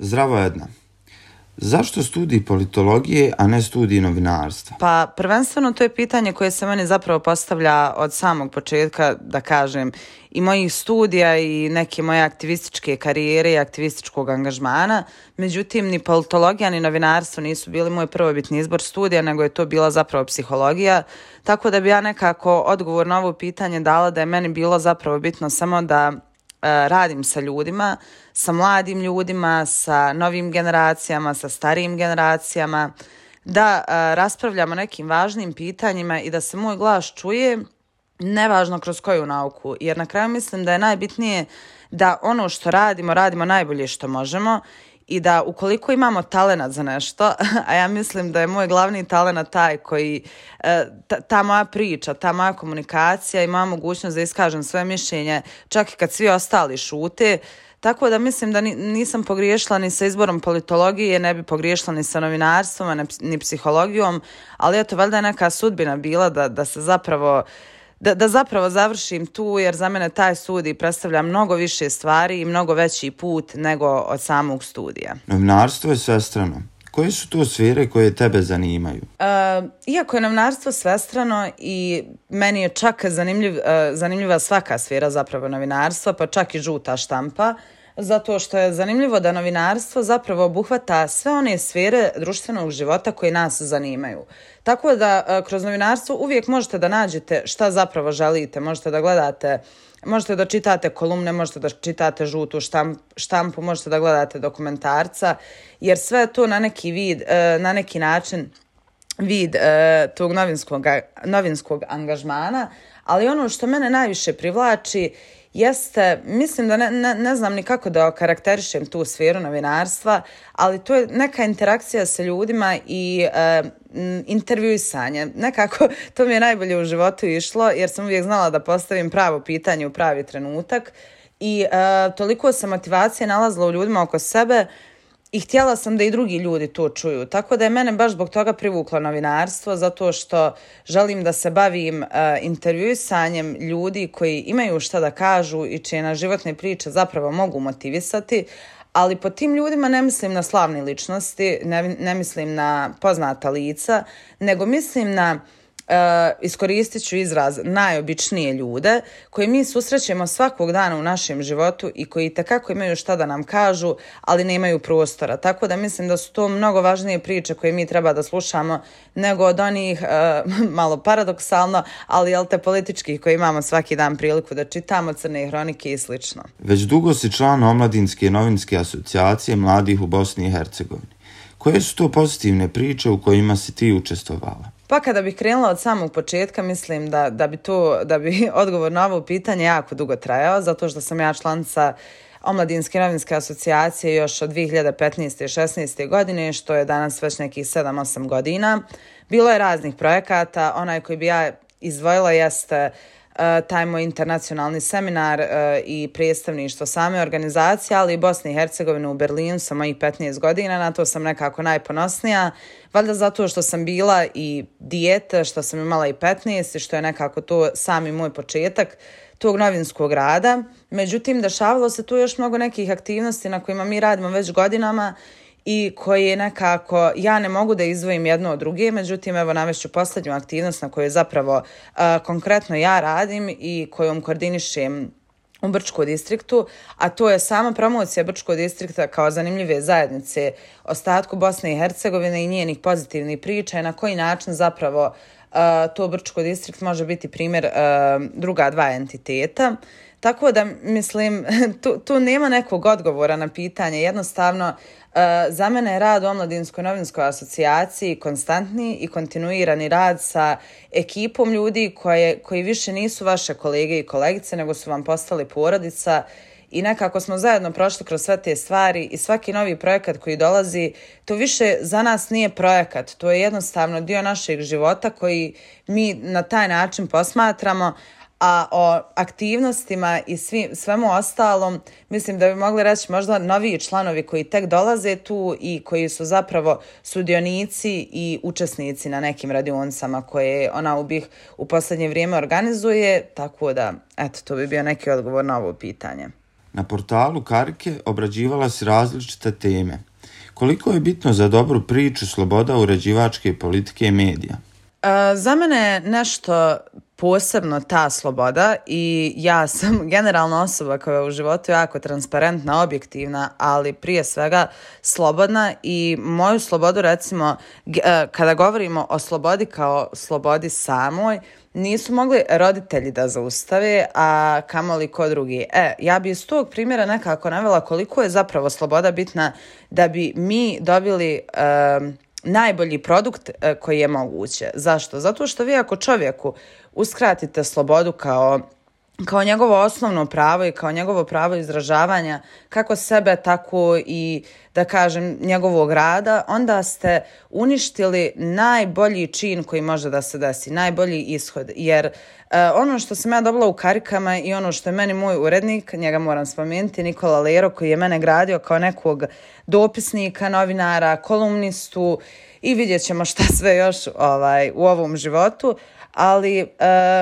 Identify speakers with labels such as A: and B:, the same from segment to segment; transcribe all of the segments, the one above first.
A: Zdravo Edna. Zašto studij politologije, a ne studij novinarstva?
B: Pa prvenstveno to je pitanje koje se meni zapravo postavlja od samog početka, da kažem, i mojih studija i neke moje aktivističke karijere i aktivističkog angažmana. Međutim, ni politologija ni novinarstvo nisu bili moj prvobitni izbor studija, nego je to bila zapravo psihologija. Tako da bi ja nekako odgovor na ovo pitanje dala da je meni bilo zapravo bitno samo da radim sa ljudima, sa mladim ljudima, sa novim generacijama, sa starijim generacijama, da raspravljamo o nekim važnim pitanjima i da se moj glas čuje, nevažno kroz koju nauku. Jer na kraju mislim da je najbitnije da ono što radimo, radimo najbolje što možemo i da ukoliko imamo talenat za nešto, a ja mislim da je moj glavni talenat taj koji, ta moja priča, ta moja komunikacija i moja mogućnost da iskažem svoje mišljenje, čak i kad svi ostali šute, tako da mislim da nisam pogriješila ni sa izborom politologije, ne bi pogriješila ni sa novinarstvom, ni psihologijom, ali eto, valjda je neka sudbina bila da se zapravo da zapravo završim tu, jer za mene taj studij predstavlja mnogo više stvari i mnogo veći put nego od samog studija.
A: Novinarstvo je svestrano. Koje su to sfere koje tebe zanimaju?
B: Iako je novinarstvo svestrano i meni je čak zanimljiva svaka sfera zapravo novinarstva, pa čak i žuta štampa, zato što je zanimljivo da novinarstvo zapravo obuhvata sve one sfere društvenog života koje nas zanimaju. Tako da kroz novinarstvo uvijek možete da nađete šta zapravo želite, možete da gledate, možete da čitate kolumne, možete da čitate žutu štampu, možete da gledate dokumentarca, jer sve je to na neki način vid tog novinskog angažmana, ali ono što mene najviše privlači jeste, mislim da ne znam ni kako da okarakterišem tu sferu novinarstva, ali to je neka interakcija sa ljudima i intervjuisanje. Nekako to mi je najbolje u životu išlo, jer sam uvijek znala da postavim pravo pitanje u pravi trenutak i toliko sam motivacije nalazila u ljudima oko sebe i htjela sam da i drugi ljudi to čuju. Tako da je mene baš zbog toga privuklo novinarstvo, zato što želim da se bavim intervjuisanjem ljudi koji imaju šta da kažu i čije na životne priče zapravo mogu motivisati, ali po tim ljudima ne mislim na slavne ličnosti, ne mislim na poznata lica, nego mislim na iskoristit ću izraz najobičnije ljude koje mi susrećemo svakog dana u našem životu i koji itekako imaju šta da nam kažu, ali nemaju prostora. Tako da mislim da su to mnogo važnije priče koje mi treba da slušamo nego od onih, malo paradoksalno, ali jel te političkih koje imamo svaki dan priliku da čitamo, crne hronike i slično.
A: Već dugo si član Omladinske novinske asocijacije mladih u Bosni i Hercegovini. Koje su to pozitivne priče u kojima si ti učestvovala?
B: Pa kada bih krenula od samog početka, mislim da bi odgovor na ovo pitanje jako dugo trajao, zato što sam ja članica Omladinske novinske asocijacije još od 2015. i 16. godine, što je danas već nekih 7-8 godina. Bilo je raznih projekata, onaj koji bi ja izdvojila jeste taj moj internacionalni seminar i predstavništvo same organizacije, ali i Bosne i Hercegovine u Berlinu sa mojih 15 godina, na to sam nekako najponosnija, valjda zato što sam bila i dijete, što sam imala i 15 i što je nekako to sami moj početak tog novinskog rada. Međutim, dešavalo se tu još mnogo nekih aktivnosti na kojima mi radimo već godinama i koje nekako ja ne mogu da izdvojim jedno od druge, međutim evo navešću posljednju aktivnost na kojoj zapravo konkretno ja radim i kojom koordinišem u Brčkom distriktu, a to je sama promocija Brčkog distrikta kao zanimljive zajednice ostatku Bosne i Hercegovine i njenih pozitivnih priča i na koji način zapravo to Brčko distrikt može biti primjer druga dva entiteta. Tako da, mislim, tu nema nekog odgovora na pitanje. Jednostavno, za mene je rad u Omladinskoj novinskoj asocijaciji konstantni i kontinuirani rad sa ekipom ljudi koji više nisu vaše kolege i kolegice, nego su vam postali porodica i nekako smo zajedno prošli kroz sve te stvari i svaki novi projekat koji dolazi, to više za nas nije projekat, to je jednostavno dio našeg života koji mi na taj način posmatramo, a o aktivnostima i svemu ostalom mislim da bi mogli reći možda noviji članovi koji tek dolaze tu i koji su zapravo sudionici i učesnici na nekim radionicama koje ona u posljednje vrijeme organizuje, tako da eto, to bi bio neki odgovor na ovo pitanje.
A: Na portalu Karike obrađivala si različite teme. Koliko je bitno za dobru priču sloboda uređivačke politike i medija?
B: Za mene je nešto posebno ta sloboda i ja sam generalno osoba koja je u životu jako transparentna, objektivna, ali prije svega slobodna i moju slobodu, recimo, kada govorimo o slobodi kao slobodi samoj, nisu mogli roditelji da zaustave, a kamoli ko drugi. Ja bi iz tog primjera nekako navela koliko je zapravo sloboda bitna da bi mi dobili najbolji produkt koji je moguće. Zašto? Zato što vi ako čovjeku uskratite slobodu kao njegovo osnovno pravo i kao njegovo pravo izražavanja kako sebe, tako i da kažem njegovog rada, onda ste uništili najbolji čin koji može da se desi, najbolji ishod. Jer ono što sam ja dobila u Karikama i ono što je meni moj urednik, njega moram spomenuti, Nikola Lero, koji je mene gradio kao nekog dopisnika, novinara, kolumnistu i vidjet ćemo šta sve još u ovom životu, ali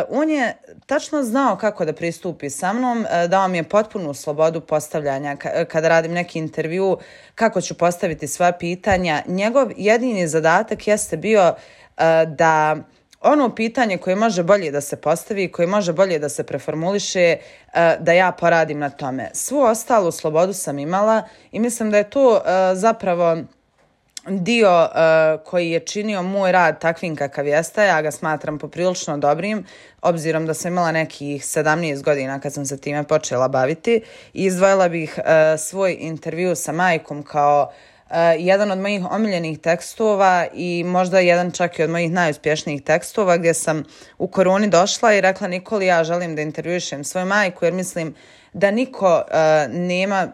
B: on je tačno znao kako da pristupi sa mnom, dao mi je potpunu slobodu postavljanja kada radim neki intervju, kako ću postaviti sva pitanja. Njegov jedini zadatak jeste bio da ono pitanje koje može bolje da se postavi, koje može bolje da se preformuliše, da ja poradim na tome. Svu ostalu slobodu sam imala i mislim da je to zapravo dio koji je činio moj rad takvim kakav jeste. Ja ga smatram poprilično dobrim, obzirom da sam imala nekih 17 godina kad sam se time počela baviti. I izdvojila bih svoj intervju sa majkom kao jedan od mojih omiljenih tekstova i možda jedan čak i od mojih najuspješnijih tekstova, gdje sam u koroni došla i rekla Nikoli, ja želim da intervjušem svoju majku jer mislim da niko nema,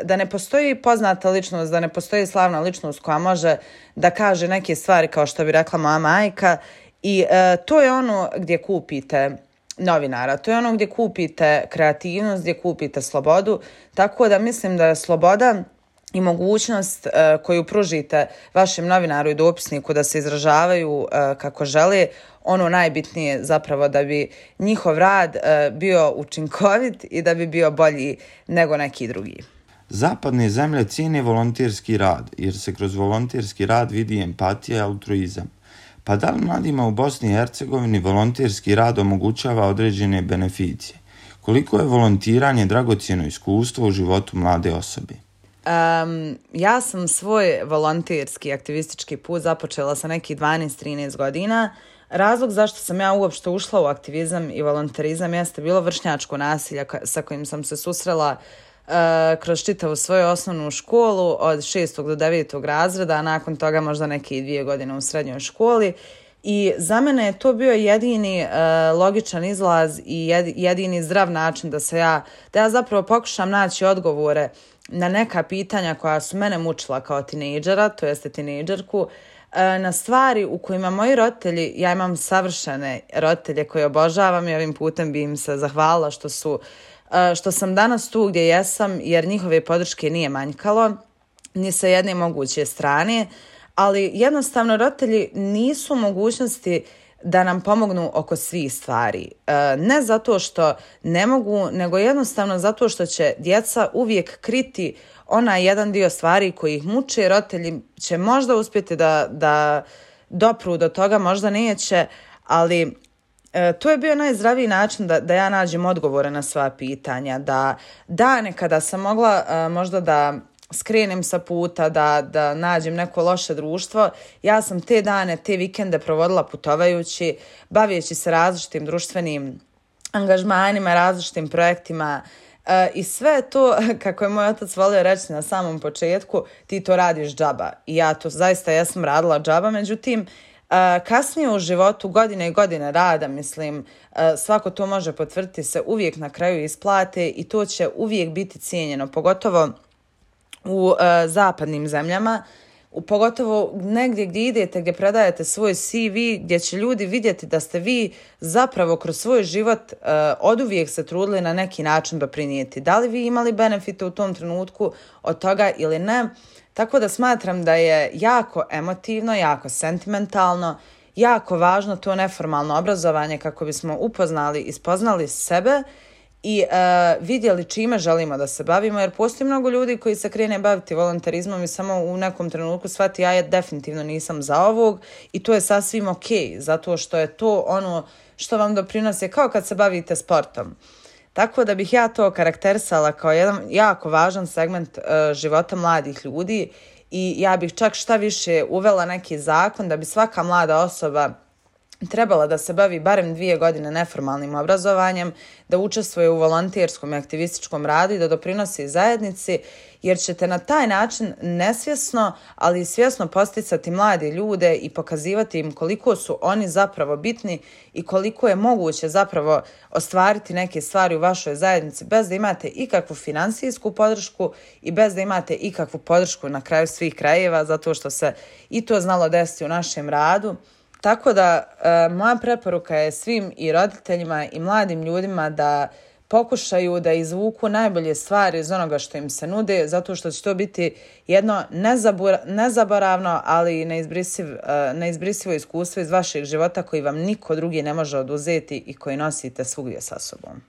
B: da ne postoji poznata ličnost, da ne postoji slavna ličnost koja može da kaže neke stvari kao što bi rekla moja majka i to je ono gdje kupite novinara, to je ono gdje kupite kreativnost, gdje kupite slobodu, tako da mislim da je sloboda i mogućnost koju pružite vašem novinaru i dopisniku da se izražavaju kako žele, ono najbitnije zapravo da bi njihov rad bio učinkovit i da bi bio bolji nego neki drugi.
A: Zapadne zemlje cijene volonterski rad, jer se kroz volonterski rad vidi empatija i altruizam. Pa da li mladima u Bosni i Hercegovini volonterski rad omogućava određene beneficije? Koliko je volontiranje dragocjeno iskustvo u životu mlade osobe?
B: Ja sam svoj volonterski aktivistički put započela sa nekih 12-13 godina. Razlog zašto sam ja uopšte ušla u aktivizam i volonterizam jeste bilo vršnjačko nasilje sa kojim sam se susrela kroz čitavu svoju osnovnu školu od 6. do 9. razreda, a nakon toga možda neke 2 godine u srednjoj školi. I za mene je to bio jedini logičan izlaz i jedini zdrav način da ja zapravo pokušam naći odgovore na neka pitanja koja su mene mučila kao tinejdžera, to jeste tinejdžerku, na stvari u kojima moji roditelji, ja imam savršene roditelje koje obožavam i ovim putem bi im se zahvalila što sam danas tu gdje jesam, jer njihove podrške nije manjkalo, ni sa jedne moguće strane, ali jednostavno roditelji nisu u mogućnosti da nam pomognu oko svih stvari. Ne zato što ne mogu, nego jednostavno zato što će djeca uvijek kriti onaj jedan dio stvari koji ih muče. Roditelji će možda uspjeti da dopru do toga, možda neće, ali to je bio najzdraviji način da ja nađem odgovore na sva pitanja. Da dane kada sam mogla možda da skrenem sa puta, da nađem neko loše društvo, ja sam te dane, te vikende provodila putovajući, bavijeći se različitim društvenim angažmanima, različitim projektima i sve to, kako je moj otac volio reći na samom početku, ti to radiš džaba. I ja to zaista jesam radila džaba, međutim, kasnije u životu, godine i godine rada, mislim, svako to može potvrditi, se uvijek na kraju isplate i to će uvijek biti cijenjeno, pogotovo u zapadnim zemljama, pogotovo negdje gdje idete, gdje predajete svoj CV, gdje će ljudi vidjeti da ste vi zapravo kroz svoj život oduvijek se trudili na neki način doprinijeti. Da li vi imali benefite u tom trenutku od toga ili ne? Tako da smatram da je jako emotivno, jako sentimentalno, jako važno to neformalno obrazovanje kako bismo upoznali i spoznali sebe i vidjeli čime želimo da se bavimo, jer postoji mnogo ljudi koji se krene baviti volonterizmom i samo u nekom trenutku shvati ja definitivno nisam za ovog i to je sasvim ok, zato što je to ono što vam doprinosi kao kad se bavite sportom. Tako da bih ja to karakterisala kao jedan jako važan segment života mladih ljudi i ja bih čak šta više uvela neki zakon da bi svaka mlada osoba trebala da se bavi barem 2 godine neformalnim obrazovanjem, da učestvuje u volonterskom i aktivističkom radu i da doprinosi zajednici, jer ćete na taj način nesvjesno, ali i svjesno posticati mlade ljude i pokazivati im koliko su oni zapravo bitni i koliko je moguće zapravo ostvariti neke stvari u vašoj zajednici bez da imate ikakvu finansijsku podršku i bez da imate ikakvu podršku na kraju svih krajeva, zato što se i to znalo desiti u našem radu. Tako da moja preporuka je svim i roditeljima i mladim ljudima da pokušaju da izvuku najbolje stvari iz onoga što im se nude, zato što će to biti jedno nezaboravno, ali i neizbrisivo iskustvo iz vašeg života koji vam niko drugi ne može oduzeti i koji nosite svugdje sa sobom.